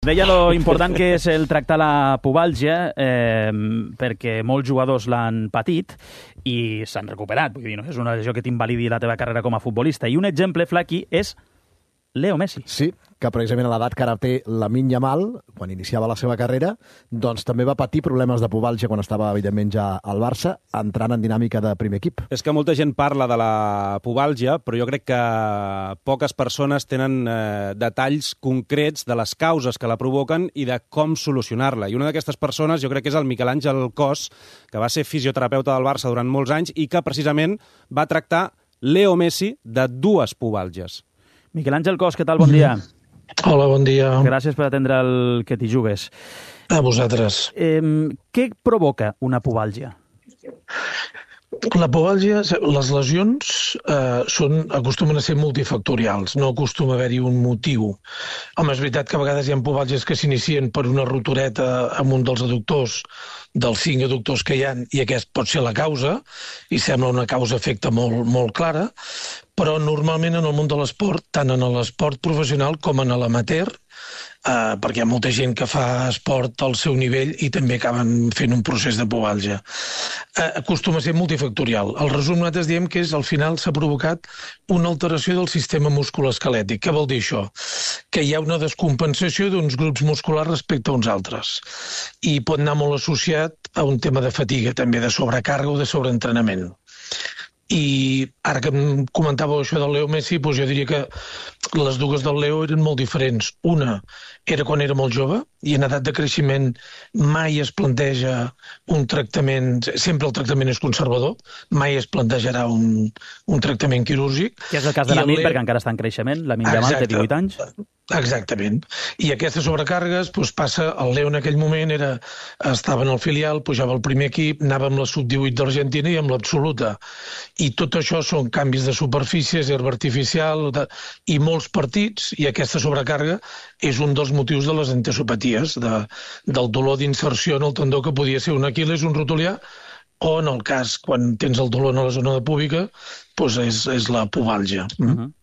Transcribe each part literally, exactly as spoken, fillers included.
Deia lo important que és el tractar la pubalgia, eh, perquè molts jugadors l'han patit i s'han recuperat. Vull dir, no és una lesió que t'invalidi la teva carrera com a futbolista. I un exemple, Flaqui, és Leo Messi. Sí, que precisament a l'edat que ara té Lamine Yamal, quan iniciava la seva carrera, doncs també va patir problemes de pubalgia quan estava, evidentment, ja al Barça, entrant en dinàmica de primer equip. És que molta gent parla de la pubalgia, però jo crec que poques persones tenen eh, detalls concrets de les causes que la provoquen i de com solucionar-la. I una d'aquestes persones jo crec que és el Miquel Àngel Cos, que va ser fisioterapeuta del Barça durant molts anys i que precisament va tractar Leo Messi de dues pubalgies. Miquel Àngel Cos, què tal? Bon dia. Hola, bon dia. Gràcies per atendre el Que t'hi jugues. A vosaltres. Eh, què provoca una pubalgia? La pubalgia, les lesions eh, són, acostumen a ser multifactorials, no acostuma a haver-hi un motiu. Home, és veritat que a vegades hi ha pubalgies que s'inicien per una rotureta amb un dels adductors, dels cinc adductors que hi ha, i aquest pot ser la causa, i sembla una causa-efecte molt, molt clara, però normalment en el món de l'esport, tant en l'esport professional com en l'amateur, eh, perquè hi ha molta gent que fa esport al seu nivell i també acaben fent un procés de pubalgia. Eh, acostuma a ser multifactorial. El resum nosaltres diem que és, al final s'ha provocat una alteració del sistema musculoesquelètic. Què vol dir això? Que hi ha una descompensació d'uns grups musculars respecte a uns altres. I pot anar molt associat a un tema de fatiga, també de sobrecàrrega o de sobreentrenament. I ara que em comentàveu això del Leo Messi, doncs jo diria que les dues del Leo eren molt diferents. Una era quan era molt jove i en edat de creixement mai es planteja un tractament, sempre el tractament és conservador, mai es plantejarà un, un tractament quirúrgic. Que és el cas de Lamine, perquè encara està en creixement, Lamine Yamal té divuit anys. Exactament. I aquestes sobrecàrregues doncs, passa, el Leo en aquell moment era, estava en el filial, pujava al primer equip, anava amb la sub divuit d'Argentina i amb l'absoluta. I tot això són canvis de superfícies, herba artificial de, i molts partits, i aquesta sobrecàrrega és un dels motius de les entesopaties, de, del dolor d'inserció en el tendó que podia ser un aquil·les, un rotulià, o en el cas, quan tens el dolor a la zona de púbica, doncs és, és la pubalgia. Mm? Uh-huh.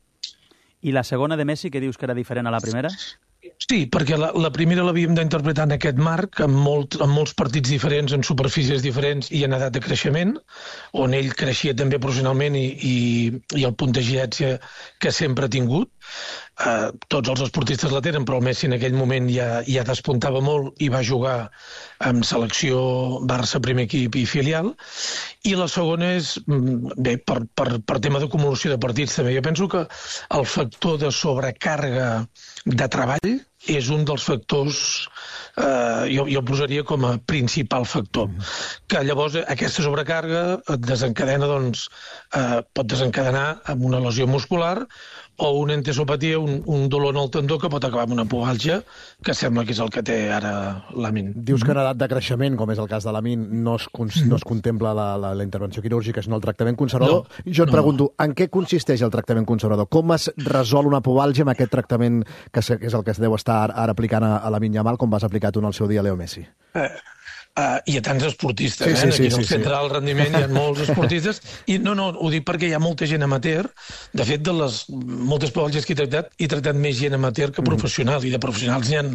I la segona de Messi, que dius que era diferent a la primera? Sí, perquè la, la primera l'havíem d'interpretar en aquest marc, amb, molt, amb molts partits diferents, en superfícies diferents i en edat de creixement, on ell creixia també professionalment i, i, i el punt d'agilència que sempre ha tingut. Uh, tots els esportistes la tenen, però el Messi en aquell moment ja, ja despuntava molt i va jugar amb selecció Barça, primer equip i filial. I la segona és, bé, per, per, per tema d'acumulació de partits també. Jo penso que el factor de sobrecàrrega de treball és un dels factors, eh, jo, jo el posaria com a principal factor. Que llavors aquesta sobrecàrrega et desencadena, doncs, eh, pot desencadenar amb una lesió muscular o una entesopatia, un, un dolor en el tendó que pot acabar amb una pubalgia, que sembla que és el que té ara Lamine. Dius que en edat de creixement, com és el cas de Lamine, no es, no es contempla la, la, la intervenció quirúrgica, sinó el tractament conservador. No, jo et no. pregunto, en què consisteix el tractament conservador? Com es resol una pubalgia amb aquest tractament que és el que es deu estar ara aplicant a, a Lamine Yamal, com vas aplicar tu en el seu dia a Leo Messi? Eh. Uh, i a tants esportistes, sí, eh? sí, Aquí sí, al sí, centre sí. del rendiment hi ha molts esportistes. I no, no, ho dic perquè hi ha molta gent amateur. De fet, de les moltes pubalgies que he tractat, he tractat més gent amateur que professional. Mm. I de professionals n'hi ha,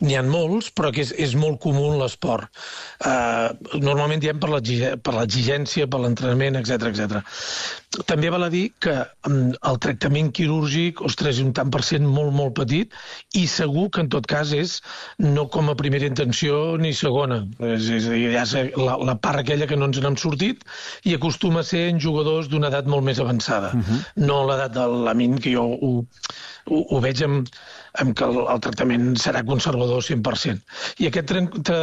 n'hi ha molts, però que és, és molt comú en l'esport. Uh, normalment diem per l'exigència, per l'entrenament, etcètera, etcètera. També val a dir que um, el tractament quirúrgic, ostres, és un tant per cent molt, molt petit i segur que en tot cas és no com a primera intenció ni segona. És, és a dir, ja sé, la, la part aquella que no ens n'hem sortit i acostuma a ser en jugadors d'una edat molt més avançada. Uh-huh. No l'edat de Lamine, que jo ho, ho, ho veig amb, amb que el, el tractament serà conservador cent per cent. I aquest tra tra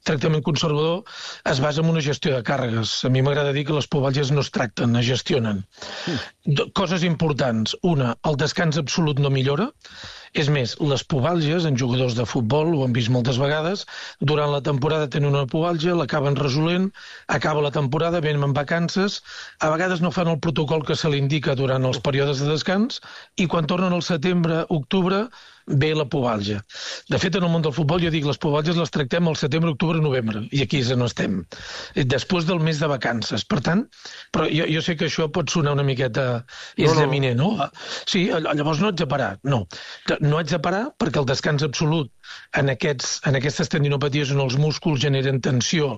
tractament conservador es basa en una gestió de càrregues. A mi m'agrada dir que les pubalgies no es tracten, es gestionen. Uh. Coses importants. Una, el descans absolut no millora. És més, les pubalgies en jugadors de futbol, ho hem vist moltes vegades, durant la temporada tenen una pubalgia, l'acaben resolent, acaba la temporada, venen en vacances, a vegades no fan el protocol que se li indica durant els períodes de descans, i quan tornen al setembre, octubre, ve la pubalgia. De fet, en el món del futbol, jo dic, les pubalgies les tractem al setembre, octubre, novembre, i aquí és on estem, després del mes de vacances. Per tant, però jo, jo sé que això pot sonar una miqueta examinant, no? no? Sí, llavors no haig de parar. No, no haig de parar perquè el descans absolut en, aquests, en aquestes tendinopaties on els músculs generen tensió,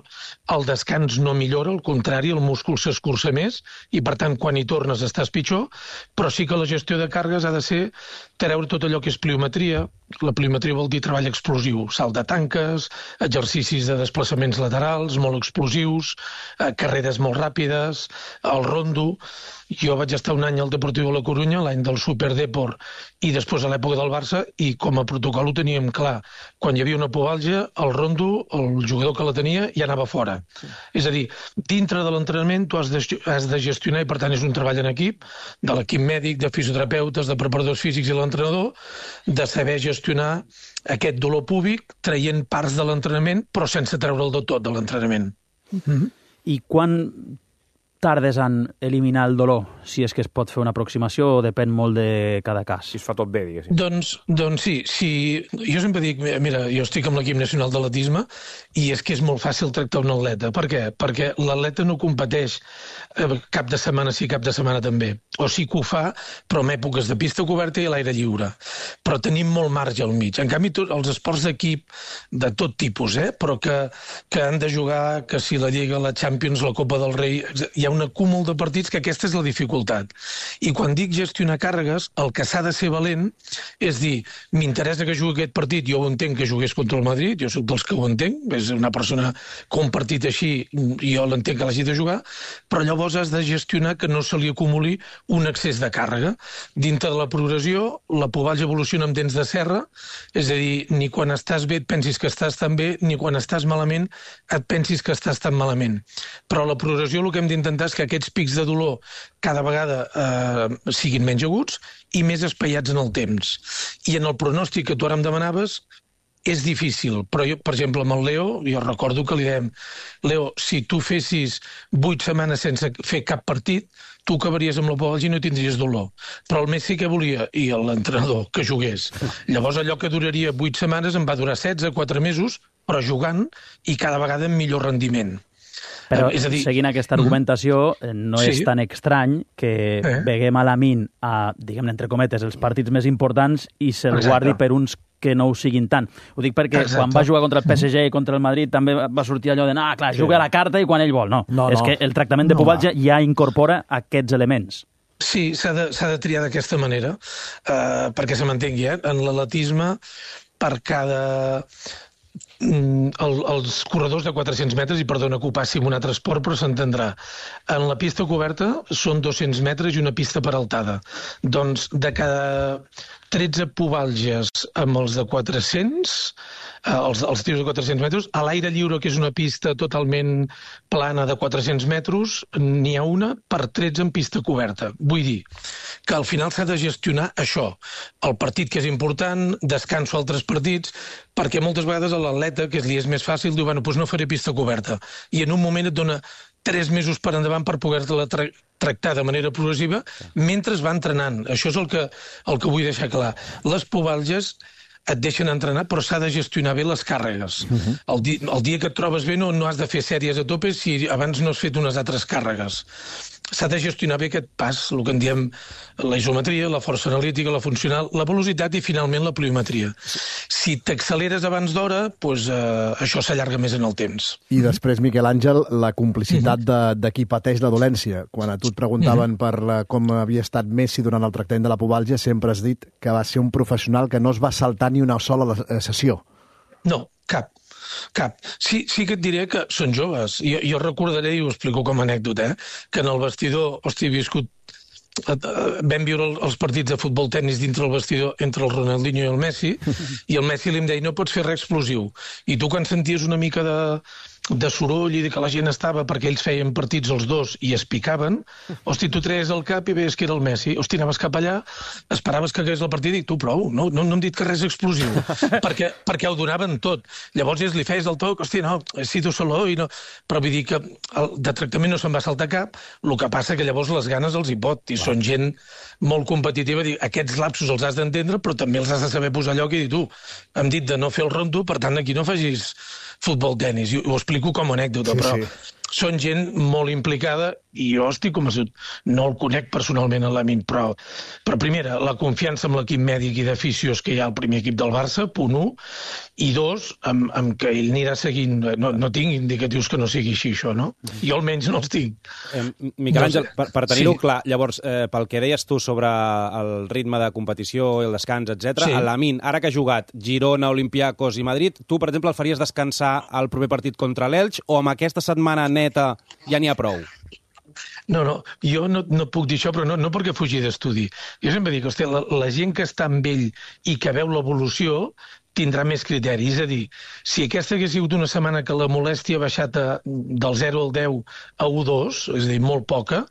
el descans no millora, al contrari, el múscul s'escurça més i, per tant, quan hi tornes estàs pitjor, però sí que la gestió de càrregues ha de ser treure tot allò que és pliometria. La pliometria vol dir treball explosiu, salt de tanques, exercicis de desplaçaments laterals molt explosius, eh, carreres molt ràpides, el rondo. Jo vaig estar un any al Deportiu de la Corunya, l'any del Superdeport, i després a l'època del Barça, i com a protocol ho teníem clar. Quan hi havia una pubalgia, el rondo, el jugador que la tenia, ja anava fora. Sí. És a dir, dintre de l'entrenament tu has de, has de gestionar, i per tant és un treball en equip, de l'equip mèdic, de fisioterapeutes, de preparadors físics i l'entrenador, de saber gestionar aquest dolor púbic traient parts de l'entrenament, però sense treure'l de tot de l'entrenament. Mm-hmm. I quan tardes en eliminar el dolor, si és que es pot fer una aproximació o depèn molt de cada cas? Si es fa tot bé, diguéssim. Doncs, doncs sí, sí, jo sempre dic, mira, jo estic amb l'equip nacional d'atletisme i és que és molt fàcil tractar un atleta. Per què? Perquè l'atleta no competeix cap de setmana sí, cap de setmana també. O sí que ho fa, però en èpoques de pista coberta i a l'aire lliure. Però tenim molt marge al mig. En canvi, tot, els esports d'equip de tot tipus, eh? però que, que han de jugar, que si la Lliga, la Champions, la Copa del Rei, hi ha un acúmul de partits que aquesta és la dificultat. I quan dic gestionar càrregues, el que s'ha de ser valent és dir, m'interessa que jugui aquest partit, jo ho entenc que jugués contra el Madrid, jo soc dels que ho entenc, és una persona que un partit així, jo l'entenc que l'hagi de jugar, però llavors has de gestionar que no se li acumuli un excés de càrrega. Dintre de la progressió, la pubalgia evoluciona amb dents de serra, és a dir, ni quan estàs bé et pensis que estàs tan bé, ni quan estàs malament et pensis que estàs tan malament. Però la progressió el que hem d'intentar és que aquests pics de dolor cada vegada eh, siguin menys aguts i més espaiats en el temps. I en el pronòstic que tu ara em demanaves, és difícil, però jo, per exemple, amb el Leo, jo recordo que li dèiem, Leo, si tu fessis vuit setmanes sense fer cap partit, tu acabaries amb la pubalgia i no tindries dolor. Però el Messi què volia? I l'entrenador, que jugués. Llavors allò que duraria vuit setmanes en va durar setze, quatre mesos, però jugant i cada vegada amb millor rendiment. Però, és a dir, seguint aquesta argumentació, no sí. és tan estrany que eh? veguem a la min a, diguem-ne, entre cometes, els partits més importants i se'l guardi per uns que no ho siguin tant. Ho dic perquè Exacte. quan va jugar contra el P S G i contra el Madrid també va sortir allò de, ah, clar, sí. juga a la carta i quan ell vol. No, no és no. que el tractament de no, pubalgia no. ja incorpora aquests elements. Sí, s'ha de, s'ha de triar d'aquesta manera, uh, perquè se m'entengui, eh? En l'atletisme, per cada... El, els corredors de quatre-cents metres, i perdona que ho passi en un altre esport, però s'entendrà. En la pista coberta són dos-cents metres i una pista peraltada. Doncs de cada tretze pubalgies amb els de quatre-cents, els, els tiros de quatre-cents metres, a l'aire lliure, que és una pista totalment plana de quatre-cents metres, n'hi ha una per tretze en pista coberta. Vull dir que al final s'ha de gestionar això. El partit que és important, descanso altres partits, perquè moltes vegades a l'atleta, que li és més fàcil, diu, bueno, doncs no faré pista coberta. I en un moment et dona tres mesos per endavant per poder-te-la tra tractar de manera progressiva mentre es va entrenant. Això és el que, el que vull deixar clar. Les pubalgies et deixen entrenar, però s'ha de gestionar bé les càrregues. Uh-huh. el, di el dia que et trobes bé no, no has de fer sèries a tope si abans no has fet unes altres càrregues. S'ha de gestionar bé aquest pas, el que en diem la isometria, la força analítica, la funcional, la velocitat i finalment la pliometria. Si t'acceleres abans d'hora, doncs, eh, això s'allarga més en el temps. I després, Miquel Àngel, la complicitat uh-huh. de, de qui pateix la dolència. Quan a tu et preguntaven uh-huh. per la, com havia estat Messi durant el tractament de la pubalgia, sempre has dit que va ser un professional que no es va saltar ni una sola sessió. No, cap. Cap. Sí, sí que et diré que són joves. Jo, jo recordaré, i ho explico com a anècdota, eh, que en el vestidor, hosti, he viscut... Vam viure els partits de futbol tenis dintre el vestidor entre el Ronaldinho i el Messi, i el Messi li em deia, no pots fer res explosiu. I tu quan senties una mica de, de soroll i de que la gent estava perquè ells feien partits els dos i es picaven, hosti, tu treies el cap i veies que era el Messi, hosti, anaves cap allà, esperaves que hagués el partit i tu prou, no, no, no hem dit que res explosiu, perquè, perquè ho donaven tot. Llavors ells li feies el toc, hosti, no, he sido solo i no... Però vull dir que el, de tractament no se'n va saltar cap, el que passa que llavors les ganes els hi pot, i són gent molt competitiva, dir, aquests lapsos els has d'entendre, però també els has de saber posar lloc i dir, tu, hem dit de no fer el rondo, per tant, aquí no facis futbol-tenis, i ho explico com a anècdota, sí, però sí. Són gent molt implicada i jo estic convençut, no el conec personalment a l'Amin, però, però primera, la confiança amb l'equip mèdic i d'aficions que hi ha al primer equip del Barça, punt un, i dos, amb, amb que ell anirà seguint, no, no tinc indicatius que no sigui així això, no? Jo almenys no els tinc. Eh, Miquel Àngel, per, per tenir-ho Sí. clar, llavors, eh, pel que deies tu sobre el ritme de competició, el descans, etcètera, Sí. a l'Amin, ara que ha jugat Girona, Olympiacos i Madrid, tu, per exemple, el faries descansar al proper partit contra l'Elx o amb aquesta setmana neta ja n'hi ha prou? No, no, jo no, no puc dir això, però no, no perquè fugi d'estudi. Jo sempre dic, hòstia, la, la gent que està amb ell i que veu l'evolució tindrà més criteri. És a dir, si aquesta hagués sigut una setmana que la molèstia ha baixat a, del zero al deu a u coma dos, és a dir, molt poca,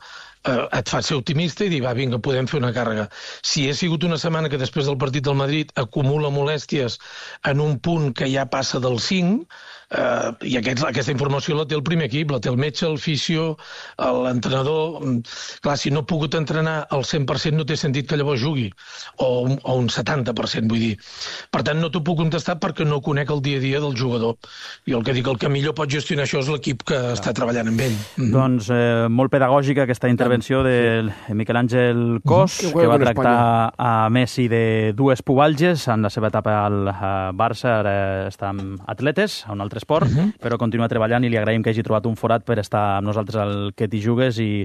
eh, et fa ser optimista i dir, va, vinga, podem fer una càrrega. Si ha sigut una setmana que després del partit del Madrid acumula molèsties en un punt que ja passa del cinc, Uh, i aquests, aquesta informació la té el primer equip, la té el metge, el fisio, l'entrenador. Clar, si no ha pogut entrenar al cent per cent no té sentit que llavors jugui, o un, o un setanta per cent, vull dir. Per tant, no t'ho puc contestar perquè no conec el dia a dia del jugador. I el que dic, el que millor pot gestionar això és l'equip que ah. està treballant amb ell. Mm-hmm. Doncs eh, molt pedagògica aquesta intervenció de Miquel Àngel Cos, Mm-hmm. que va tractar a Messi de dues pubalges en la seva etapa al Barça, ara està amb atletes, a un altre esport, uh-huh. però continua treballant i li agraïm que hagi trobat un forat per estar amb nosaltres al Que t'hi jugues i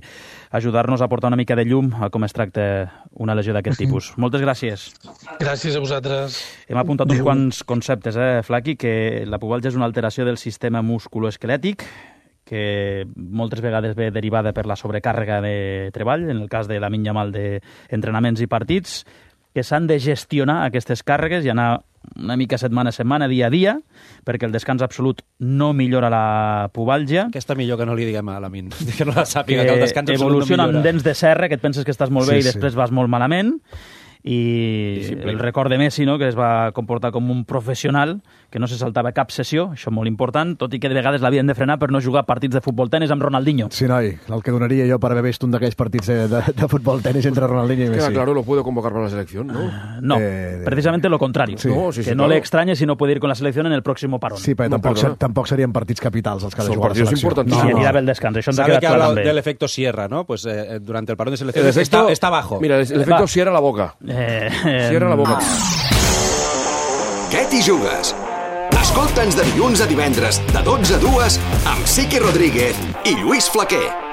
ajudar-nos a portar una mica de llum a com es tracta una lesió d'aquest uh-huh. tipus. Moltes gràcies. Gràcies a vosaltres. Hem apuntat uns quants conceptes, eh, Flaqui, que la pubalgia és una alteració del sistema musculoesquelètic, que moltes vegades ve derivada per la sobrecàrrega de treball, en el cas de Lamine Yamal d'entrenaments i partits, que s'han de gestionar aquestes càrregues i anar una mica setmana a setmana, dia a dia, perquè el descans absolut no millora la pubalgia. Aquesta millor que no li diguem a l'Amin, que no la sàpiga, que, que el descans absolut no evoluciona millora. amb dents de serra, que et penses que estàs molt bé Sí, i després sí. vas molt malament, i el record de Messi, no?, que es va comportar com un professional, que no se saltava cap sessió, això molt important, tot i que de vegades l'havien de frenar per no jugar partits de futbol-tenis amb Ronaldinho. Sí, noi, el que donaria jo per haver vist un d'aquells partits de, de, de futbol-tenis entre Ronaldinho i Messi. Queda claro, lo puedo convocar para la selección, ¿no? No, Eh, precisamente lo contrario. Sí. No, sí, sí, que no claro. le extrañe si no puede ir con la selección en el próximo parón. Sí, però No, tampoc, perdona. tampoc serien partits capitals els que ha de Són jugar la partits selecció. importantísimos. Sí, No, anirà no. bé el descans, això ens ha Sabe quedat que ha clar hablado també. del efecto Sierra, ¿no? Pues eh, durante el parón de El selecciones efecto, está, está abajo. Mira, el, el efecto Va. cierra la boca. Eh, eh, Cierra la boca. Què t'hi jugues? Escolta'ns de dilluns a divendres, de dotze a dues, amb Siqui Rodríguez i Lluís Flaquer.